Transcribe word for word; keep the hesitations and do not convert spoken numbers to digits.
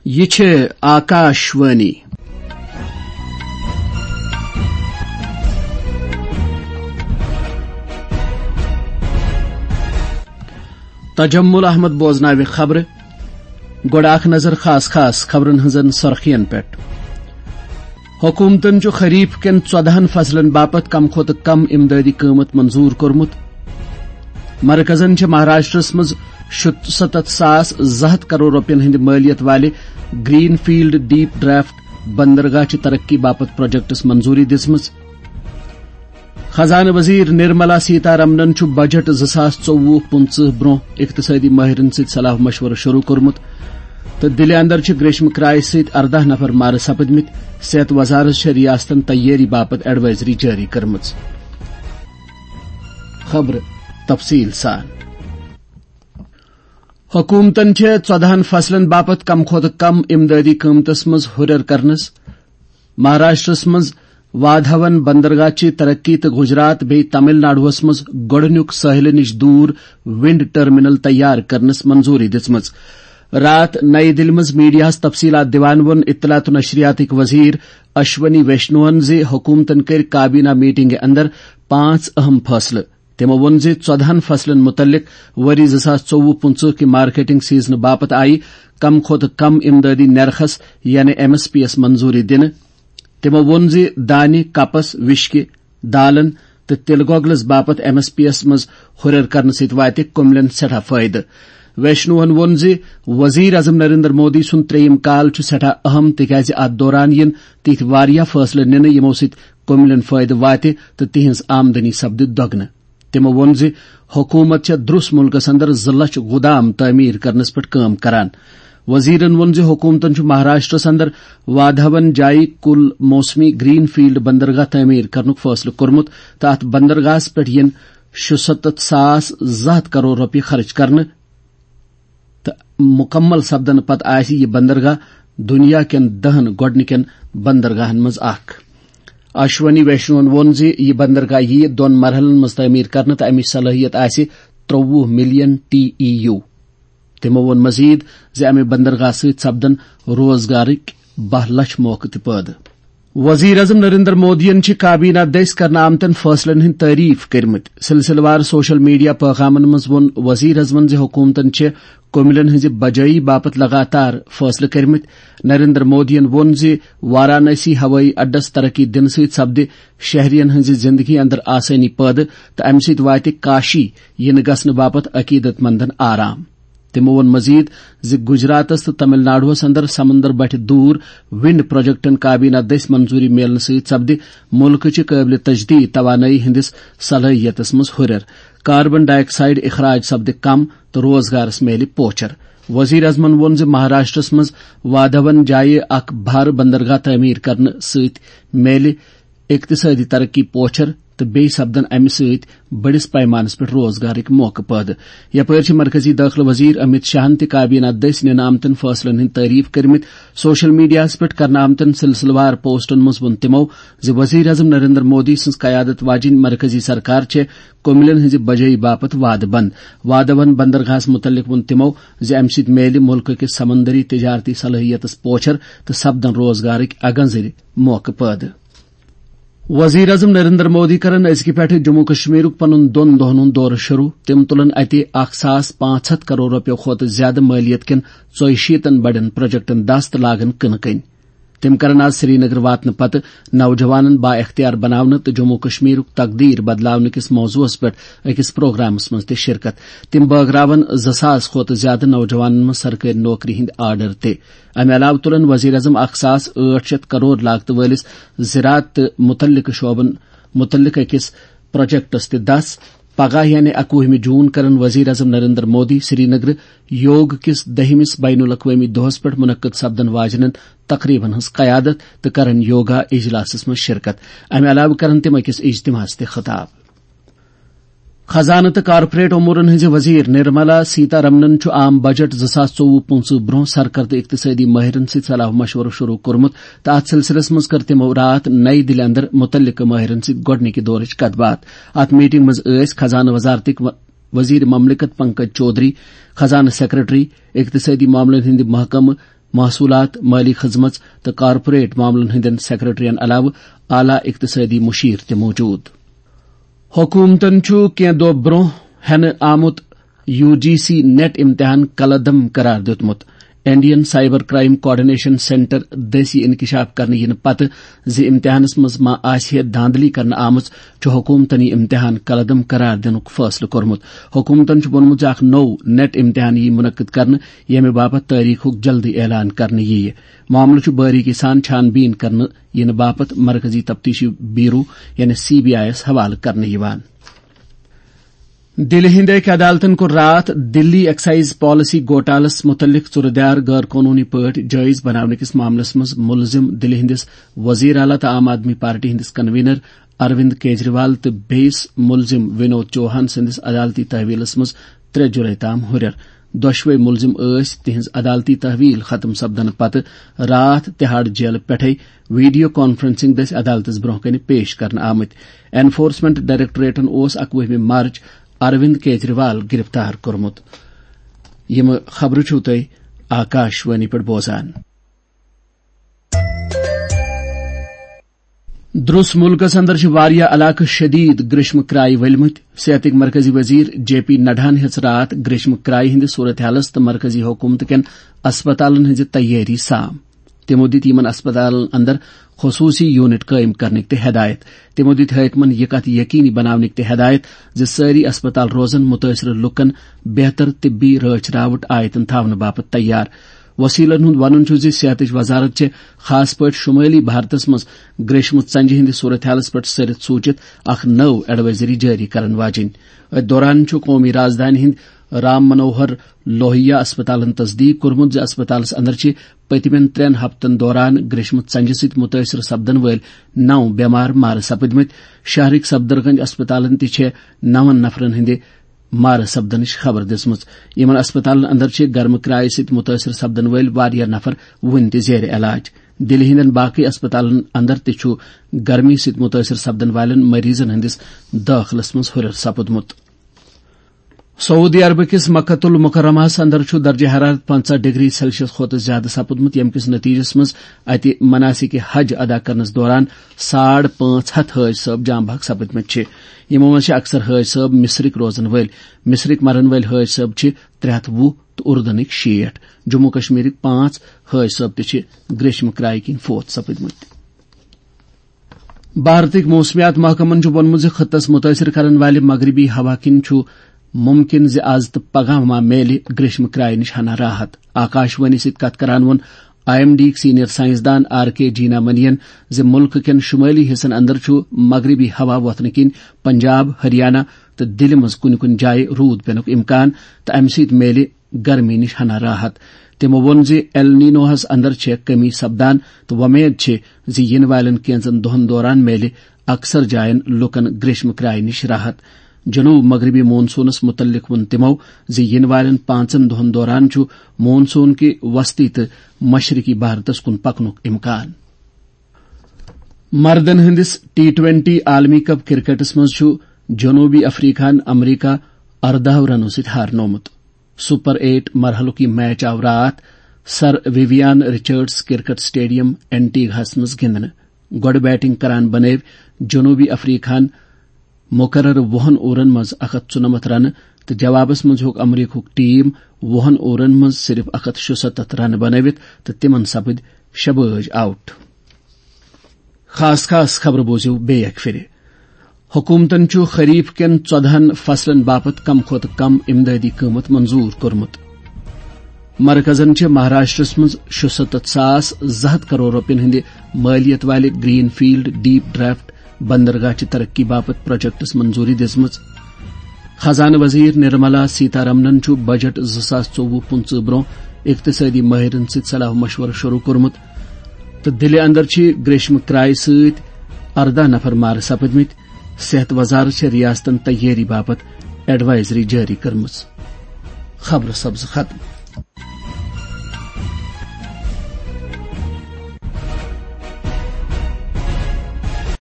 یہِ چھِ آکاشوانی۔ تجمل احمد بوزناوِ خبرٕ۔ گۄڈٕ اکھ نظر خاص خاص خبرن ہٕنزن سرخین پٮ۪ٹھ۔ حکومتن چھُ خریف کٮ۪ن ژۄدہن فصلن باپتھ کم کھۄتہٕ کم امدادی قۭمتھ منظور کوٚرمُت۔ مرکزن چھِ مہاراشٹرس منٛز شُستتھ ساس زٕ ہتھ کرور رۄپین ہٕنٛدِ مٲلیت والہِ گرین فیلڈ ڈیپ ڈرافٹ بندرگاہ چہِ ترقی باپتھ پروجیکٹس منظوری دِژمٕژ۔ خزانہٕ وزیر نرملا سیتارمنن چھُ بجٹ زٕ ساس ژوٚوُہ پٕنٛژٕہ برونٛہہ اقتصٲدی مٲہرن سۭتۍ صلاح مشورٕ شروع کوٚرمُت تہٕ دِلہِ اندر چھِ گریشمہٕ کرایہِ سۭتۍ ارداہ نفر مارٕ سپٕدمٕتۍ۔ صحت وزارت چھےٚ ریاستن تیٲری باپتھ ایڈوائزری جٲری کٔرمٕژ۔ خبرٕ تفصیٖل سان۔ حکومتن چھےٚ ژۄدہن فصلن باپتھ کم کھۄتہٕ کم امدادی قۭمتس منٛز ہُرٮ۪ر کرنس مہاراشٹرس منٛز وادھون بندرگاہ چہِ ترقی تہٕ گجرات بیٚیہِ تمل ناڈوہس منٛز گۄڈٕنیُک ساحلہٕ نِش دوٗر ونڈ ٹرمینل تیار کرنس منظوری دِژمٕژ۔ راتھ نئی دِلہِ منٛز میڈیاہس تفصیلات دِوان ووٚن اطلاعات و نشریاتٕکۍ وزیر اشونی ویشنوہن زِ حکومتن کٔرۍ کابینہ میٹنگہِ اندر پانٛژھ اہم فٲصلہٕ۔ تِمو ووٚن زِ ژۄدہن فصلن مُتعلق ؤری زٕ ساس ژوٚوُہ پٕنٛژٕہ کہِ مارکیٹنگ سیزنہٕ باپتھ آیہِ کم کھۄتہٕ کم امدادی نرخس یعنی ایم ایس پی یس منظوری دِنہٕ۔ تِمو ووٚن زِ دانہِ، کپس، وشکہِ، دالن تہٕ تِلہٕ گۄگلس باپتھ ایم ایس پی یس منٛز ہُرٮ۪ر کرنہٕ سۭتۍ واتہِ کُملٮ۪ن سٮ۪ٹھاہ فٲیدٕ۔ ویشنوہن ووٚن زِ وزیر اعظم نریندر مودی سُنٛد ترٛیٚیِم کال چھُ سٮ۪ٹھاہ اہم، تِکیازِ اتھ دوران یِن تِتھۍ واریاہ فٲصلہٕ نِنہٕ، یِمو سۭتۍ کُملٮ۪ن فٲیدٕ واتہِ تہٕ تِہنٛز آمدنی سپدِ دۄگنہٕ۔ تِمو ووٚن زِ حکوٗمت چھےٚ درٛس مُلکس اندر زٕ لچھ گُدام تعمیٖر کرنس پٮ۪ٹھ کٲم کران۔ وزیرن ووٚن زِ حکوٗمتن چھُ مہاراشٹرس اندر وادھون جایہِ کُل موسمی گرین فیلڈ بندرگاہ تعمیٖر کرنُک فٲصلہٕ کوٚرمُت تہٕ اتھ بندرگاہس پٮ۪ٹھ یِن شُستتھ ساس زٕ ہتھ کرور رۄپیہِ خرٕچ کرنہٕ تہٕ مُکمل سپدنہٕ پتہٕ آسہِ یہِ بندرگاہ دُنیا کٮ۪ن دَہن گۄڈٕنِکٮ۪ن بندرگاہن منٛز اکھ۔ اشونی ویشنوہن ووٚن زِ یہِ بندرگاہ یِیہِ دۄن مرحلن منٛز تعمیٖر کرنہٕ تہٕ امِچ صلٲحیت آسہِ ترٛوٚوُہ ملین ٹی ای یو۔ تِمو ووٚن مزید زِ امہِ بندرگاہ سۭتۍ سپدن روزگارٕکۍ باہ لچھ موقعہٕ تہِ پٲدٕ۔ وزیر اعظم نریندر مودیَن چھِ کابینہ دٔسۍ کرنہٕ آمتٮ۪ن فٲصلن ہٕنٛدۍ تعریف کٔرمٕتۍ۔ سلسلہٕ وار سوشل میڈیا پیغامن منٛز ووٚن وزیر اعظمن زِ حکومتن چھِ کُملٮ۪ن ہٕنٛزِ بجٲیی باپتھ لگاتار فٲصلہٕ کٔرمٕتۍ۔ نریندر مودیَن ووٚن زِ وارانسی ہوٲیی اڈس ترقی دِنہٕ سۭتۍ سپدِ شہرین ہٕنٛزِ زندگی اندر آسٲنی پٲدٕ تہٕ امہِ سۭتۍ واتہِ کاشی یِنہٕ گژھنہٕ باپتھ عقیدت مندن آرام۔ تِمو ووٚن مزید زِ گجراتس تہٕ تمل ناڈوہس اندر سمندر بٹھِ دوٗر ونڈ پروجیکٹن کابینہ دٔسۍ منظوری میلنہٕ سۭتۍ سپدِ مُلکٕچہِ قٲبلِ تجدید توانٲیی ہٕنٛدِس صلٲحیتس منٛز ہُرٮ۪ر، کاربن ڈائی آکسائیڈ اخراج سپدِ کم تہٕ روزگارس میلہِ پوچھر۔ وزیر اعظمن ووٚن زِ مہاراشٹرس منٛز وادھون جایہِ اکھ بھارٕ بندرگاہ تعمیٖر کرنہٕ سۭتۍ میلہِ اقتصٲدی ترقی پوچھر تہٕ بیٚیہِ سپدن امہِ سۭتۍ بٔڑِس پیمانس پٮ۪ٹھ روزگارٕکۍ موقعہٕ پٲدٕ۔ یپٲرۍ چھِ مرکزی دٲخلہٕ وزیر امیت شاہن تہِ کابینہ دٔسۍ نِنہٕ آمتٮ۪ن فٲصلن ہٕنٛدۍ تعریف کٔرمٕتۍ۔ سوشل میڈیاہَس پٮ۪ٹھ کرنہٕ آمتٮ۪ن سلسلہٕ وار پوسٹن منٛز ووٚن تِمو زِ وزیر اعظم نریندر مودی سٕنٛز قیادت واجیٚنۍ مرکزی سرکار چھےٚ کُملٮ۪ن ہٕنٛزِ بجٲیی باپتھ وعدٕ بنٛد۔ وادھون بندرگاہس مُتعلق ووٚن تِمو زِ امہِ سۭتۍ میلہِ مُلکہٕ کِس سمندری تجارتی صلٲحیتس پوچھر تہٕ سپدن روزگارٕکۍ اگنزرِ موقعہٕ پٲدٕ۔ وزیر اعظم نریندر مودی کرن أزکہِ پٮ۪ٹھٕ جموں کشمیرُک پنُن دۄن دۄہن ہُنٛد دورٕ شروع۔ تِم تُلن اتہِ اکھ ساس پانٛژھ ہتھ کرور رۄپیو کھۄتہٕ زیادٕ مٲلیت کٮ۪ن ژۄیہِ شیٖتن بڑٮ۪ن پروجیکٹن دست تہٕ لاگن کٕنہٕ کٔنۍ۔ تِم کرن آز سرینگر واتنہٕ پتہٕ نوجوانن با اختیار بناونہٕ تہٕ جموں کشمیرُک تقدیر بدلاونہٕ کِس موضوعس پٮ۪ٹھ أکِس پروگرامس منٛز تہِ شرکت۔ تِم بٲگراون زٕ ساس کھۄتہٕ زیادٕ نوجوانن منٛز سرکٲرۍ نوکری ہٕنٛدۍ آرڈر تہِ۔ امہِ علاوٕ تُلن وزیر اعظم اکھ ساس ٲٹھ شیٚتھ کرور لاگتہٕ وٲلِس زراعت تہٕ مُتعلقہٕ شعبن مُتعلق أکِس پروجیکٹس تہِ دس۔ پگاہ یعنی اکوُہمہِ جون کرن وزیر اعظم نریندر مودی سرینگر یوگ کِس دٔہمِس بین الاقوٲمی دۄہس پٮ۪ٹھ منعقد سپدن واجنٮ۪ن تقریبن ہٕنٛز قیادت تہٕ کرن یوگا اجلاسس منٛز شرکت۔ امہِ علاوٕ کرن تِم أکِس اجتماعس تہِ خطاب۔ خزانہٕ تہٕ کارپوریٹ امورن ہٕنٛزِ وزیر نرملا سیتارمنن چھُ عام بجٹ زٕ ساس ژوٚوُہ پٕنٛژٕہ برونٛہہ سرکردٕ اقتصٲدی مٲہرن سۭتۍ صلاح مشورٕ شروع کوٚرمُت تہٕ اتھ سلسلس منٛز کٔر تِمو راتھ نئی دِلہِ اندر مُتعلقہٕ مٲہرن سۭتۍ گۄڈٕنِکہِ دورٕچ کتھ باتھ۔ اتھ میٹنگ منٛز ٲسۍ خزانہٕ وزارتٕکۍ و-، وزیر مملکت پنکج چودھری، خزانہٕ سیکرٹری، اقتصٲدی معاملن ہٕنٛدِ محکمہٕ محصولات، مٲلی خدمژ تہٕ کارپوریٹ معاملن ہٕنٛدٮ۪ن سیکرٹریَن علاوٕ اعلیٰ اقتصٲدی مشیر تہِ موجود۔ حکومتن چھُ کینٛہہ دۄہ برٛونٛہہ ہٮ۪نہٕ آمُت یو جی سی نیٹ امتحان کلعدم قرار دیُتمُت۔ Indian cyber crime coordination centre دٔسۍ یہِ انکشاف کرنہٕ یِنہٕ پتہٕ زِ امتحانس منٛز ما آسہِ ہے دھاندلی کرنہٕ آمٕژ، چھُ حکومتن یہِ امتحان کلعدم قرار دِنُک فٲصلہٕ کوٚرمُت۔ حکومتن چھُ ووٚنمُت زِ اکھ نوٚو نیٹ امتحان یِیہِ منعقد کرنہٕ، ییٚمہِ باپتھ تٲریخُک جلدی اعلان کرنہٕ یِیہِ۔ معاملہٕ چھُ باریکی سان چھان بیٖن کرنہٕ یِنہٕ باپتھ مرکزی تفتیشی بیورو یعنی سی بی آئی یَس حوالہٕ کرنہٕ یِوان۔ دِلہِ ہٕنٛدِ أکۍ عدالتن کوٚر راتھ دِلی ایکسائز پالیسی گوٹالس مُتعلق ژُرٕ دیار غٲر قونوٗنی پٲٹھۍ جٲیز بناونہٕ کِس معاملس منٛز مُلزِم دِلہِ ہٕنٛدِس وزیر اعلیٰ تہٕ عام آدمی پارٹی ہٕنٛدِس کنوینر اروند کیجریوال تہٕ بیٚیِس مُلزِم ونود چوہان سٕنٛدِس عدالتی تحویلس منٛز ترٛےٚ جولائی تام ہُرٮ۪ر۔ دۄشوے مُلزِم ٲسۍ تِہنٛز عدالتی تحویل ختم سپدنہٕ پتہٕ راتھ تہاڑ جیلہٕ پٮ۪ٹھے ویڈیو کانفرنسنگ دٔسۍ عدالتس برونٛہہ کنہِ پیش کرنہٕ آمٕتۍ۔ انفورسمنٹ ڈائریکٹوریٹن اوس اکوُہمہِ مارچ اروند کیجریوال گرفتار کوٚرمُت۔ یِم خبرٕ چھِو تُہۍ آکاش وانی پٮ۪ٹھ بوزان۔ درس مُلکس اندر چھِ واریاہ علاقہٕ شدید گریشمہٕ کرایہِ ؤلمٕتۍ۔ صحتٕکۍ مرکزی وزیر جے پی نڈاہن ہیٚژ راتھ گریشمہٕ کرایہِ ہٕنٛدِ صورت حالس تہٕ مرکزی حکومتہٕ کٮ۪ن اسپتالن ہٕنٛزِ تیٲری سام۔ تِمو دِتۍ یِمن اسپتالن اندر خصوٗصی یونٹ قٲیِم کرنٕکۍ تہِ ہدایت۔ تِمو دِتۍ حٲکمن یہِ کتھ یقینی بناونٕکۍ تہِ ہدایت زِ سٲری اسپتال روزن مُتٲثرٕ لوٗکن بہتر طبی رٲچھ راوُٹ آیتن تھاونہٕ باپتھ تیار۔ وسیلن ہُنٛد ونُن چھُ زِ صحتٕچ وزارت چھِ خاص پٲٹھۍ شمٲلی بھارتس منٛز گریشمہٕ ژنجہِ ہٕنٛدِ صورت حالس پٮ۪ٹھ سٔرِتھ سوٗچِتھ اکھ نٔو ایڈوائزری جٲری کرن واجِنۍ۔ أتھۍ دوران چھُ قومی رازدانہِ ہٕنٛدۍ رام منوہر لوہیا اسپتالن تصدیق کوٚرمُت زِ اسپتالس اندر چھِ پٔتمٮ۪ن ترٛٮ۪ن ہفتن دوران گریشمہٕ ژنجہِ سۭتۍ مُتٲثر سپدن وٲلۍ نو بیمار مارٕ سپٕدمٕتۍ۔ شہرٕکۍ سفدرگنج اسپتالن تہِ چھِ نون نفرن ہٕنٛدِ مارٕ سپدنٕچ خبر دِژمٕژ۔ یِمن اسپتالن اندر چھِ گرمہٕ کرایہِ سۭتۍ مُتٲثر سپدن وٲلۍ واریاہ نفر وُنہِ تہِ زیر علاج۔ دِلہِ ہٕنٛدٮ۪ن باقٕے اسپتالن اندر تہِ چھُ گرمی سۭتۍ مُتٲثر سپدن والٮ۪ن مریضن ہٕنٛدِس دٲخلس منٛز ہُرٮ۪ر سپُدمُت۔ سعودی عربہٕ کِس مکہ المکرمہس اندر چھُ درجہ حرارت پنٛژاہ ڈگری سیلسیس کھۄتہٕ زیادٕ سپُدمُت، ییٚمہِ کِس نتیجس منٛز اتہِ مناسک حج ادا کرنس دوران ساڑ پانٛژھ ہتھ حٲج صٲب جاں بحق سپٕدمٕتۍ چھِ۔ یِمو منٛز چھِ اکثر حٲج صٲب مصرٕکۍ روزن وٲلۍ۔ مصرٕکۍ مرن وٲلۍ حٲج صٲب چھِ ترٛےٚ ہتھ وُہ تہٕ اردنٕکۍ شیٹھ۔ جموں کشمیرٕکۍ پانٛژھ حٲج صٲب تہِ چھِ گریشمہٕ کرایہِ کِنۍ فوت سپٕدمٕتۍ۔ بھارتٕکۍ موسمیات محکمن چھُ ووٚنمُت زِ خطس مُتٲثر کرن والہِ مغربی ہوا کِنۍ چھُ مُمکِن زِ از تہٕ پگاہ ما میلہِ گریشمہٕ کرایہِ نِش ہنا راحت۔ آکاش وانی سۭتۍ کتھ کران ووٚن آئی ایم ڈی یِکۍ سینئر سائنسدان آر کے جینا منی ین زِ مُلکہٕ کٮ۪ن شُمٲلی حصن اندر چھُ مغربی ہوا وۄتھنہٕ کِنۍ پنجاب، ہریانہ تہٕ دِلہِ منٛز کُنہِ کُنہِ جایہِ روٗد پینُک امکان تہٕ امہِ سۭتۍ میلہِ گرمی نِش ہنا راحت۔ تِمو ووٚن زِ ایل نینوہس اندر چھےٚ کمی سپدان تہٕ وۄمید چھِ زِ یِنہٕ والٮ۪ن کینژن دۄہن دوران میلہِ اکثر جاین لوٗکن گریشمہٕ کرایہِ نِش راحت۔ جنوب مغربی مون سونس مُتعلق ووٚن تِمو زِ یِنہٕ والٮ۪ن پانٛژن دۄہن دوران چھُ مون سون کہِ وسطی تہٕ مشرقی بھارتس کُن پکنُک امکان۔ مردن ہٕنٛدِس ٹی ٹوینٹی عالمی کپ کرکٹس منٛز چھُ جنوبی افریقہن امریکہ ارداہ رنو سۭتۍ ہارنومُت۔ سپر ایٹ مرحلُک یہِ میچ آو راتھ سر ویویان رچرڈز کرکٹ سٹیڈیم اینٹیگہس منٛز گِنٛدنہٕ۔ گۄڈٕ بیٹنگ کران بنٲوۍ جنوبی افریقہن مقررٕ وُہن اوورن منٛز اکھ ہتھ ژُنمتھ رنہٕ تہٕ جوابس منٛز ہیوٚک امریکہُک ٹیم وُہن اوورن منٛز صرف اکھ ہتھ شُستتھ رنہٕ بنٲوِتھ تہٕ تِمن سپٕدۍ شےٚ بٲج آؤٹ۔ خاص خاص خبرٕ بوٗزِو بیٚیہِ اکہِ پھِرِ۔ حکوٗمتَن چھُ خریف کٮ۪ن ژۄدہَن فصلَن باپتھ کم کھۄتہٕ کم امدادی قۭمت منظور کوٚرمُت۔ مرکزَن چھِ مہاراشٹرَس منٛز شُستتھ ساس زٕ ہتھ کرور رۄپیَن ہٕنٛدِ مٲلیت والہِ گرین فیلڈ ڈیپ ڈرافٹ بندرگاہ چہِ ترقی باپتھ پروجیکٹَس منظوٗری دِژمٕژ۔ خزانہٕ وزیر نرملا سیتارمنَن چھُ بجٹ زٕ ساس ژوٚوُہ پٕنٛژٕہ برٛونٛہہ اقتصٲدی مٲہرَن سۭتۍ صلاح مشورٕ شروٗع کوٚرمُت۔ تہٕ دِلہِ اندر چھِ گریشمہٕ کرایہِ سۭتۍ ارداہ نفر مارٕ سپٕدمٕتۍ۔ صحت وزارت چھےٚ ریاستن تیٲری باپتھ ایڈوائزری جٲری کٔرمٕژ۔ خبرٕ سپزٕ ختم۔